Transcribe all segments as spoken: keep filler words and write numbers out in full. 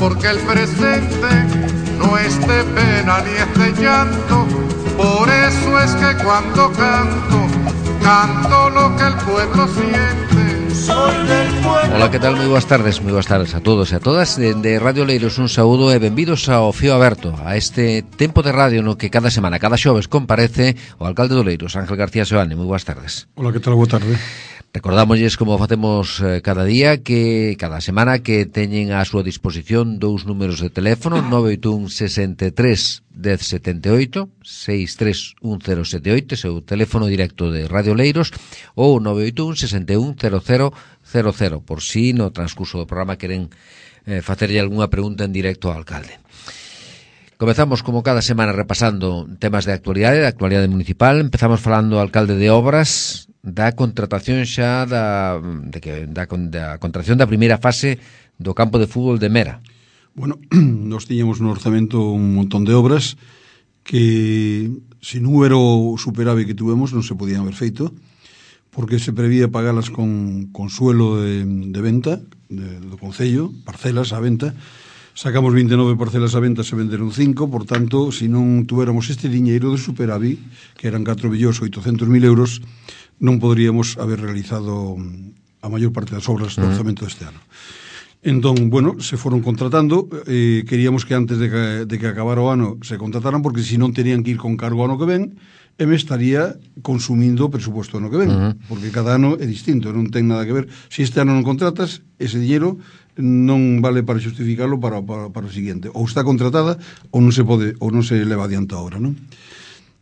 porque el presente no es de pena ni es de llanto. Por eso es que cuando canto, canto lo que el pueblo siente. Soy del pueblo. Hola, que tal? Moi boas tardes, moi boas tardes a todos e a todas. De, de Radio Leiros un saúdo e benvidos ao Fío Aberto, a este tempo de radio no que cada semana, cada xoves comparece o alcalde do Leiros, Ángel García Seoane. Moi boas tardes. Hola, que tal? Boa tarde. Recordámosles, como facemos eh, cada día, que cada semana que teñen a súa disposición dous números de teléfono, nove oito un, sesenta e tres, dez setenta e oito, seis tres un cero sete oito, seu teléfono directo de Radio Leiros, ou nove oito un, sesenta e un, cero cero cero cero, por si no transcurso do programa queren eh, facerlle algunha pregunta en directo ao alcalde. Comezamos, como cada semana, repasando temas de actualidade, de actualidade municipal. Empezamos falando ao alcalde de obras, da contratación xa da, de que, da, da contratación da primeira fase do campo de fútbol de Mera. Bueno, nos tiñamos no orzamento un montón de obras que, se non era o superávit que tuvemos, non se podían haber feito, porque se prevía pagalas con, con suelo de, de venta de, do Concello, parcelas a venta. Sacamos vinte e nove parcelas a venta, se venderon cinco, por tanto, se non tuéramos este diñeiro de superávit, que eran catro millóns oitocentos mil euros, non poderíamos haber realizado a maior parte das obras do orzamento deste ano. Entón, bueno, se foron contratando, eh, queríamos que antes de que, de que acabara o ano se contrataran, porque se non terían que ir con cargo ao ano que ven, e me estaría consumindo o presuposto ano que ven, uh-huh. porque cada ano é distinto, non ten nada que ver. Se este ano non contratas, ese dinheiro non vale para justificarlo para, para, para o seguinte. Ou está contratada ou non se pode, ou non se leva adiante a obra, non?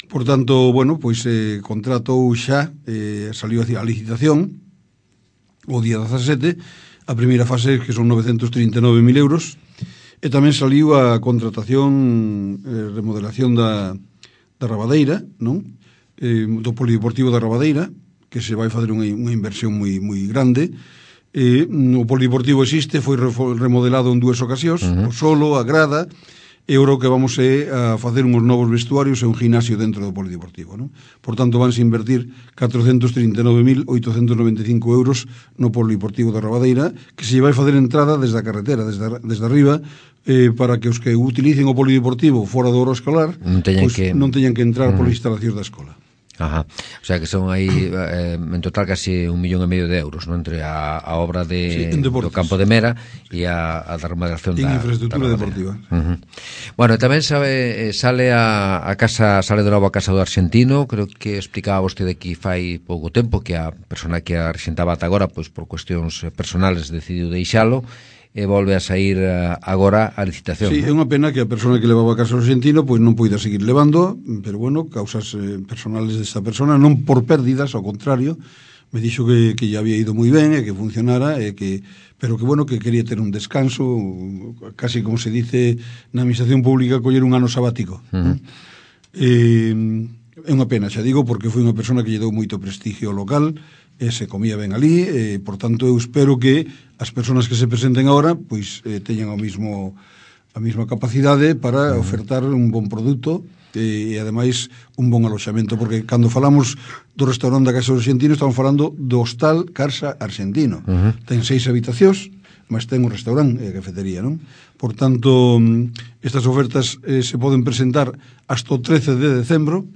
Por tanto, bueno, pois eh, contratou xa, eh, saliu a licitación o día dezasete, a primeira fase, que son novecentos trinta e nove mil euros, e tamén saliu a contratación, eh, remodelación da, da Rabadeira, non? Eh, do Polideportivo da Rabadeira, que se vai fazer unha, unha inversión moi, moi grande. Eh, o Polideportivo existe, foi remodelado en dúas ocasións, uh-huh. o solo, a grada, e agora o que vamos é a facer uns novos vestuarios e un gimnasio dentro do Polideportivo, non? Por tanto, vanse invertir catrocentos trinta e nove mil oitocentos noventa e cinco euros no Polideportivo da Rabadeira, que se vai facer entrada desde a carretera, desde, desde arriba, eh, para que os que utilicen o Polideportivo fora do hora escolar non teñan, pues, que... non teñan que entrar uh-huh. polas instalacións da escola. Ajá. O sea que son aí eh, en total casi un millón e medio de euros, ¿no? Entre a, a obra de, sí, do campo de Mera e a, a da remodelación da infraestructura da deportiva. Uh-huh. Bueno, tamén sabe, sale a, a casa, sale de novo a casa do arxentino. Creo que explicaba vostede aquí fai pouco tempo que a persona que a arxentaba ata agora, pois por cuestións personales decidiu deixalo e volve a sair agora a licitación. Sí, é unha pena que a persona que levaba a casa ao arxentino pois non poida seguir levando, pero bueno, causas eh, personales desta persona, non por pérdidas, ao contrario, me dixo que, que ya había ido moi ben e que funcionara, e que, pero que bueno, que quería ter un descanso, casi como se dice na administración pública, coller un ano sabático. Uh-huh. eh, é unha pena, xa digo, porque foi unha persona que lle dou moito prestigio local, e se comía ben ali, e, por tanto, eu espero que as persoas que se presenten agora pois eh, teñan o mismo, a mesma capacidade para ofertar un bon produto e, e ademais, un bon aloxamento, porque cando falamos do restaurante da Casa do Arxentino estamos falando do hostal Carsa Arxentino. Uh-huh. Ten seis habitacións, mas ten un restaurante e a cafetería, non? Por tanto, estas ofertas eh, se poden presentar hasta o trece de decembro.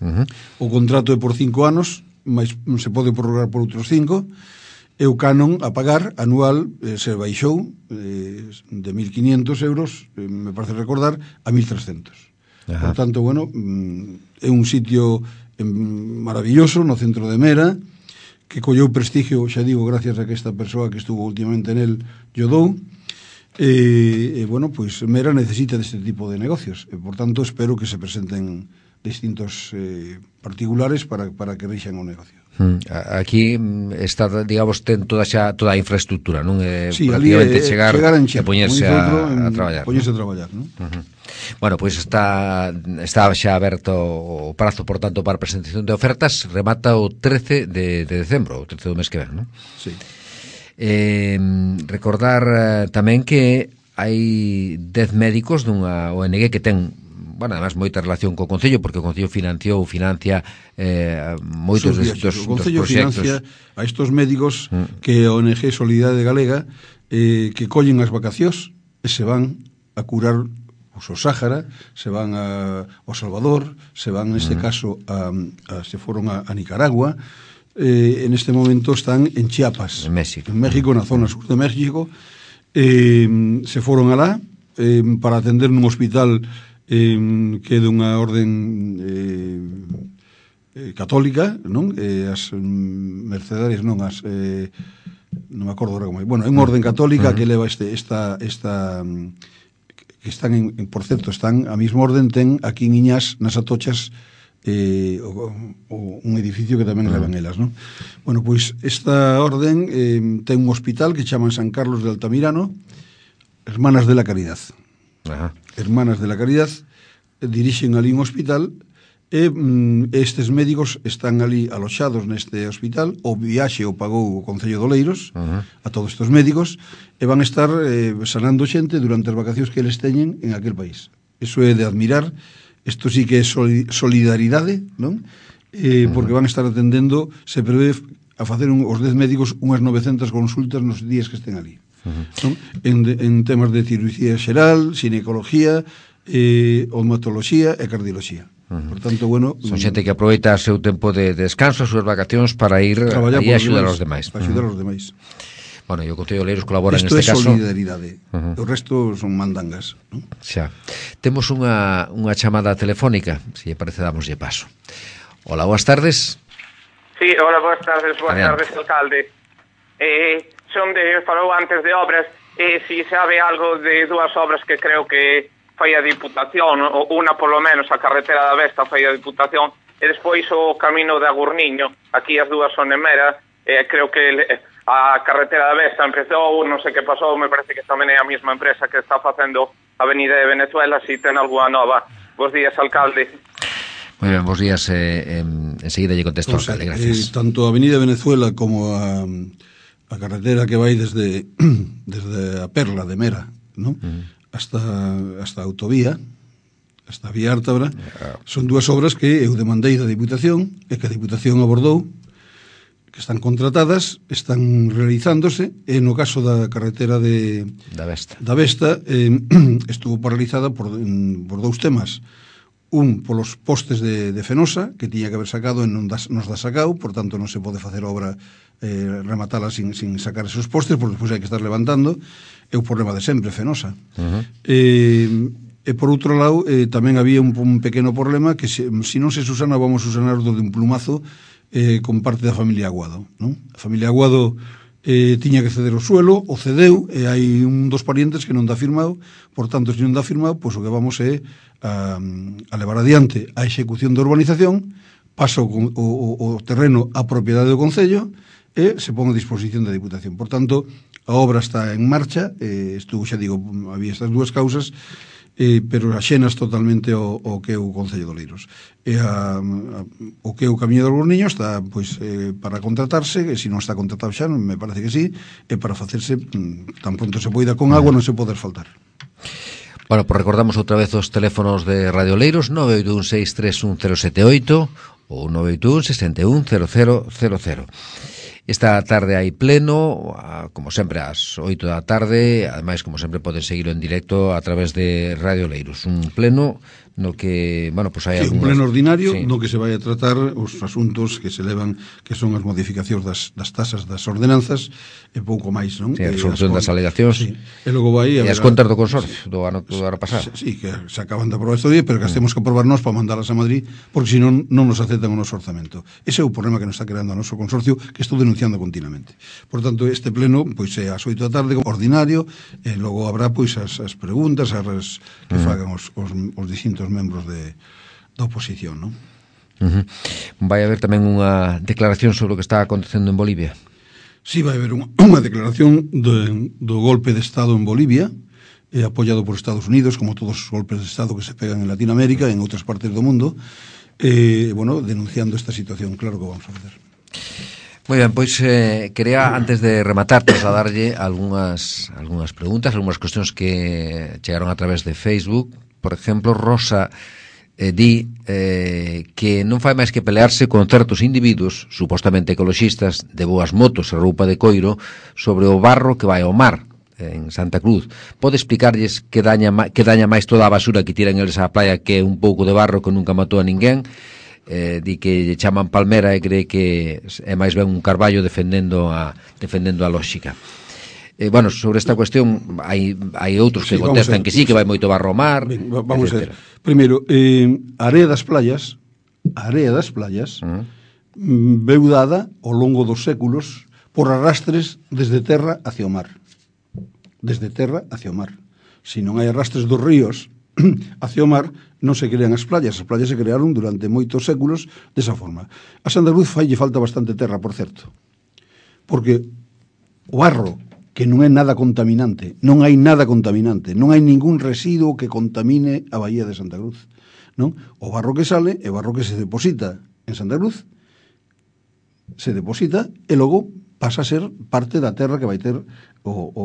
Uh-huh. O contrato é por cinco anos, mas se pode prorrogar por outros cinco, e o canon a pagar anual eh, se baixou eh, de mil quinientos euros, eh, me parece recordar, a mil trescentos. Ajá. Por tanto, bueno, é un sitio eh, maravilloso no centro de Mera, que colleu prestigio, xa digo, gracias a que esta persoa que estuvo últimamente nel yo dou, e, e bueno, pois Mera necesita deste tipo de negocios, e por tanto espero que se presenten distintos eh, particulares para, para que reixan o negocio. Aquí está, digamos, ten toda xa toda a infraestructura, non? É sí, prácticamente é, chegar e poñerse a, a traballar. Poñerse a traballar, non? Uh-huh. Bueno, pois pues está está xa aberto o prazo, por tanto, para a presentación de ofertas, remata o trece de, de decembro, o trece do mes que ven, non? Sí. Eh, recordar eh, tamén que hai dez médicos dunha O N G que ten, bueno, además moita relación co Concello, porque o Concello financiou, financia eh, moitos dos, dos, o Concello dos proxectos. Financia a estos médicos mm. que a O N G Solidariedade Galega eh, que collen as vacacións e se van a curar pues, o Sáhara, se van a, ao Salvador, se van, neste uh-huh. caso, a, a, se foron a, a Nicaragua, eh, en este momento están en Chiapas, en México, en México, na zona sur de México, eh, se foron alá eh, para atender nun hospital eh, que é dunha orden eh, eh, católica, non? Eh, as mm, mercedarias, non, as eh, non me acordo ahora como é. Bueno, é unha orden católica uh-huh. que leva este esta esta que están en, por certo, están a mesma orden ten aquí en Iñas nas Atochas eh, o, o, un edificio que tamén uh-huh. levan elas, non? Bueno, pois esta orden eh, ten un hospital que chaman San Carlos de Altamirano, Hermanas de la Caridad. Ajá. Hermanas de la Caridad eh, dirixen ali un hospital e mm, estes médicos están ali aloxados neste hospital, o viaxe o pagou o Concello de Oleiros uh-huh. a todos estes médicos e van estar eh, sanando xente durante as vacacións que eles teñen en aquel país. Iso é de admirar, isto sí que é solidaridade, non? Eh, uh-huh. Porque van a estar atendendo, se prevé a facer un, os dez médicos unhas novecentas consultas nos días que estén ali. Uh-huh. Non? En, de, en temas de cirugía xeral, ginecología, eh, odontoloxía e cardioloxía. Uh-huh. Por tanto, bueno, son xente que aproveita o seu tempo de descanso, as súas vacacións para ir e axudar aos demais. Para axudar aos demais. Bueno, e o Concello de Oleiros colabora Esto neste caso. Isto é solidaridade. Uh-huh. O resto son mandangas, non? Xa. Temos unha, unha chamada telefónica, se lle parece damoslle paso. Hola, boas tardes. Sí, hola, boas tardes, boas Adiante. tardes, alcalde. Eh, son de, falou antes de obras, e eh, si sabe algo de dúas obras que creo que fai a Diputación, unha polo menos a carretera da Vesta fai a Diputación, e despois o camino de Agurniño, aquí as dúas son en Mera, e creo que a carretera da Vesta empezou, non sei que pasou, me parece que tamén é a mesma empresa que está facendo a Avenida de Venezuela, si ten algunha nova. Bos días, alcalde. Moi ben, bos días, eh, en, enseguida lle contesto, pues, alcalde, gracias. Eh, tanto a Avenida de Venezuela como a, a carretera que vai desde desde a Perla de Mera, non? Uh-huh. hasta hasta a autovía, hasta a vía Ártabra, son dúas obras que eu demandei da Diputación e que a Diputación abordou, que están contratadas, están realizándose, e no caso da carretera de da Vesta, da Vesta eh, estuvo paralizada por, por dous temas. Un, polos postes de, de Fenosa, que tiña que haber sacado e non das, nos da sacado, por tanto non se pode facer obra eh, rematala sin, sin sacar esos postes, porque despois hai que estar levantando. É o problema de sempre, Fenosa. Uh-huh. Eh, e por outro lado, eh, tamén había un, un pequeno problema que se, se non se susana, vamos a susanar do de un plumazo eh, con parte da familia Aguado, non? A familia Aguado eh, tiña que ceder o suelo, o cedeu, e hai un dos parientes que non dá firmado, por tanto, se non dá firmado, pois o que vamos é a, a levar adiante a execución da urbanización, pasa o, o, o terreno a propiedade do Concello e se pon a disposición da Diputación. Por tanto, a obra está en marcha, eh, estuvo, xa digo, había estas dúas causas, eh, pero axenas totalmente o, o que é o Concello de Oleiros. E a, a, o que é o Camiño do Agurniño está pois, eh, para contratarse, e se non está contratado xa, me parece que sí, e para facerse tan pronto se poida con agua, non se poder faltar. Bueno, pues recordamos outra vez os teléfonos de Radio Oleiros, nove oito un seis tres un cero sete oito ou nove oito un seis un cero cero cero cero. Esta tarde hai pleno, como sempre, ás oito da tarde. Ademais, como sempre, poden seguirlo en directo a través de Radio Oleiros. Un pleno no que, bueno, pues hai sí, algúnas... un pleno ordinario, sí, no que se vai a tratar os asuntos que se levan, que son as modificacións das, das tasas das ordenanzas e pouco máis, non? Sí, a resolución das alegacións. Sí. E logo vai e as contas do consorcio do ano, do ano pasado. Sí, que se acaban de aprobar este día, pero que as temos que aprobar nós para mandalas a Madrid, porque senón non nos aceptan o noso orzamento. Ese é o problema que nos está creando o noso consorcio, que estou denunciando continuamente. Por tanto, este pleno, pois é ás oito da tarde, ordinario, e logo habrá pois as, as preguntas as que mm. fagan os, os, os distintos membros de, da oposición, non? Uh-huh. Vai haber tamén unha declaración sobre o que está acontecendo en Bolivia? Sí, vai haber unha, unha declaración de, do golpe de Estado en Bolivia, eh, apoiado por Estados Unidos, como todos os golpes de Estado que se pegan en Latinoamérica e en outras partes do mundo, eh, bueno, denunciando esta situación, claro que vamos a facer. Moi ben, pois eh, quería, antes de rematar, trasladarlle algunhas, algunhas preguntas, algunhas cuestións que chegaron a través de Facebook. Por exemplo, Rosa eh, di eh, que non fai máis que pelearse con certos individuos, supostamente ecoloxistas, de boas motos e roupa de coiro, sobre o barro que vai ao mar. en Santa Cruz, pode explicarlles que daña, que daña máis toda a basura que tiran eles á playa que un pouco de barro que nunca matou a ninguén? Eh, di que lle chaman palmera e cree que é máis ben un carballo defendendo a, defendendo a lóxica. Eh, bueno, sobre esta cuestión hai, hai outros que sí, contestan que sí, que vai moito barro ao mar. Ben, vamos etcétera. a ver. Primeiro, eh, a area das playas, a area das playas, uh -huh. veu dada ao longo dos séculos por arrastres desde terra hacia o mar. Desde terra hacia o mar. Se non hai arrastres dos ríos hacia o mar, non se crean as playas. As playas se crearon durante moitos séculos desa forma. A Santa Cruz faille falta bastante terra, por certo. Porque o barro, que non é nada contaminante, non hai nada contaminante, non hai ningún residuo que contamine a Bahía de Santa Cruz, non? O barro que sale é barro que se deposita en Santa Cruz, se deposita e logo pasa a ser parte da terra que vai ter o, o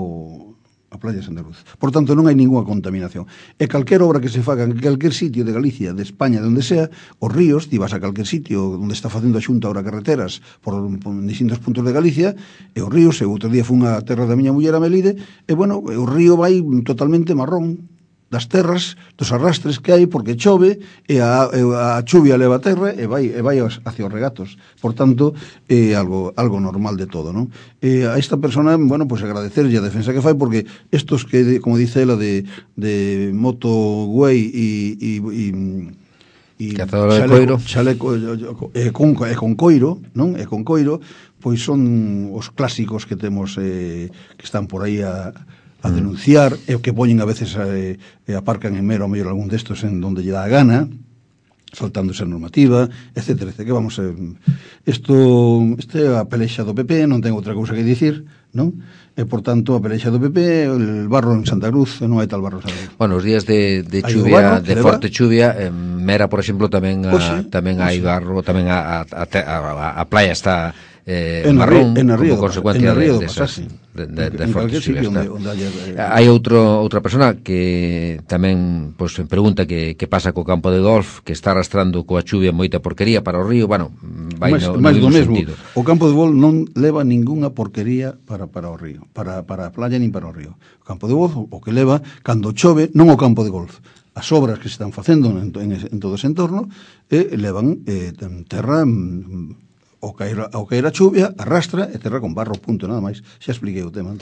a playa de Santa Cruz. Por tanto, non hai ninguna contaminación. E calquer obra que se faga en calquer sitio de Galicia, de España, de onde sea, os ríos, ti vas a calquer sitio onde está facendo a Xunta ahora carreteras por, por distintos puntos de Galicia, e os ríos, e outro día fun a terra da miña muller a Melide, e bueno, o río vai totalmente marrón das terras, dos arrastres que hai porque chove e a, a chuvia leva a terra e vai, e vai hacia os regatos. Por tanto, é algo, algo normal de todo, non? E a esta persona, bueno, pues agradecerlle a defensa que fai porque estos que, como dice ela, de, de moto güey e, e, e e chaleco, chaleco e con, e con coiro, non? E con coiro, pois son os clásicos que temos eh, que están por aí a a denunciar, e o que poñen a veces eh, e aparcan en mero a mellor algún destos en donde lle dá a gana, saltándose a normativa, etcétera, etcétera. Que vamos a... Isto, este é a pelexa do P P, non ten outra cousa que dicir, non? E, por tanto, a pelexa do P P, el barro en Santa Cruz, non hai tal barro en Santa Cruz. Bueno, os días de, de chuvia, barro, de forte chuvia, en Mera, por exemplo, tamén a, Oxe, tamén hai barro, tamén a, a, a, a playa está... Eh, en marrón, en a río, como consecuencia en a río de, de, esas, de, de, de en fortes sitio chuvias. Onde, onde haya, eh, hai outro, outra persona que tamén pues, pregunta que, que pasa co campo de golf, que está arrastrando coa chuvia moita porquería para o río. Bueno, vai mais, no, mais no do mesmo sentido. O campo de golf non leva ningunha porquería para, para o río, para, para a playa nin para o río. O campo de golf o que leva, cando chove, non o campo de golf, as obras que se están facendo en, en, en todo ese entorno, eh, levan eh, terra... o caer, ao caer a chuvia, arrastra e terra con barro, punto, nada máis. Xa expliquei o tema.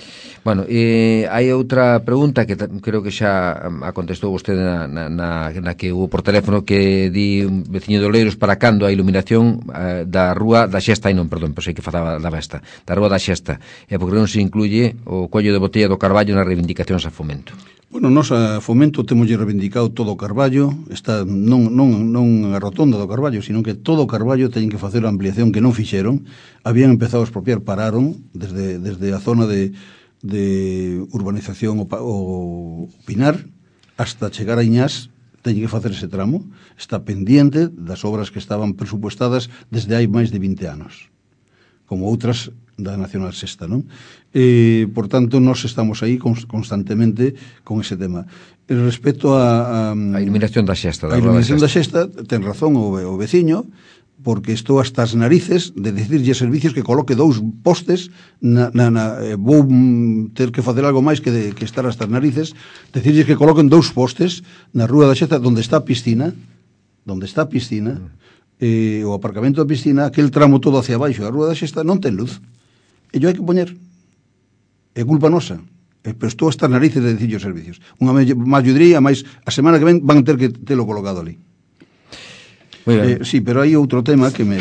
Bueno, e hai outra pregunta que creo que xa a contestou vostede na, na, na que hubo por teléfono, que di un veciño de Oleiros para cando a iluminación eh, da rúa da Xesta, e non, perdón, pois sei que falaba da Besta, da rúa da Xesta, e porque non se incluye o collo de botella do Carballo nas reivindicacións a Fomento. Bueno, nós a Fomento temos reivindicado todo o Carballo, está non, non, non a rotonda do Carballo, sino que todo o Carballo teñen que facer a ampliación que non fixeron, habían empezado a expropiar, pararon desde, desde a zona de, de urbanización o, o Pinar hasta chegar a Iñás, teñen que facer ese tramo, está pendiente das obras que estaban presupuestadas desde hai máis de vinte anos, como outras da Nacional Sexta, non? E, por tanto, nós estamos aí constantemente con ese tema. E respecto a... A, a iluminación da Xesta. A iluminación da Xesta, ten razón o, o veciño, porque estou hasta as narices de decirlle servicios que coloque dous postes, na, na, na, eh, vou ter que facer algo máis que, de, que estar hasta as narices, decirlle que coloquen dous postes na rúa da Xesta, onde está a piscina, onde está a piscina, eh, o aparcamento da piscina, aquel tramo todo hacia baixo da rúa da Xesta, non ten luz. E yo hai que poñer, é culpa nosa, e, pero estou hasta as narices de dicir os servicios. Unha malladría, máis a semana que ven van ter que telo colocado ali. Eh, sí, pero hai outro tema que me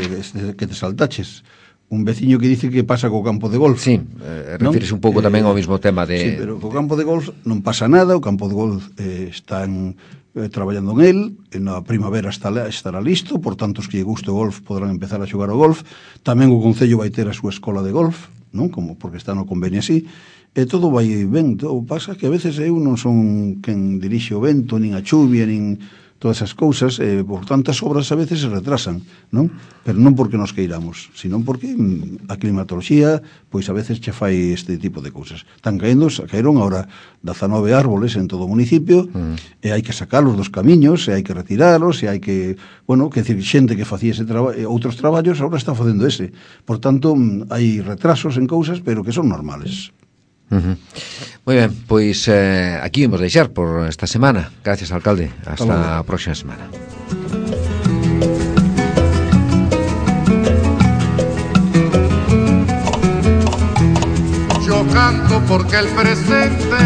que te saltaches. Un veciño que dice que pasa co campo de golf. Sí, eh, refires un pouco eh, tamén ao mismo tema de... Sí, pero co campo de golf non pasa nada, o campo de golf eh, están eh, traballando en el, na primavera está, estará listo, por tanto os que lle guste o golf podrán empezar a xogar o golf. Tamén o Concello vai ter a súa escola de golf, non? Como porque está no convenio así, e todo vai ben. Todo pasa que a veces eu non son quen dirixe o vento, nin a chuvia, nin todas esas cousas, e por tantas obras a veces se retrasan, non? Pero non porque nos queiramos, sino porque a climatoloxía, pois a veces che fai este tipo de cousas. Están caendo, caeron agora dezanove árboles en todo o municipio, mm. e hai que sacalos dos camiños, e hai que retiralos, e hai que, bueno, que decir, xente que facía ese traba, outros traballos, agora está facendo ese. Por tanto, hai retrasos en cousas, pero que son normales. Uh-huh. Moi ben, pois eh, aquí vamos deixar por esta semana. Gracias, alcalde. Hasta a próxima semana. Yo canto porque el presente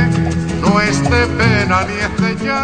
no es de pena ni es de llanto.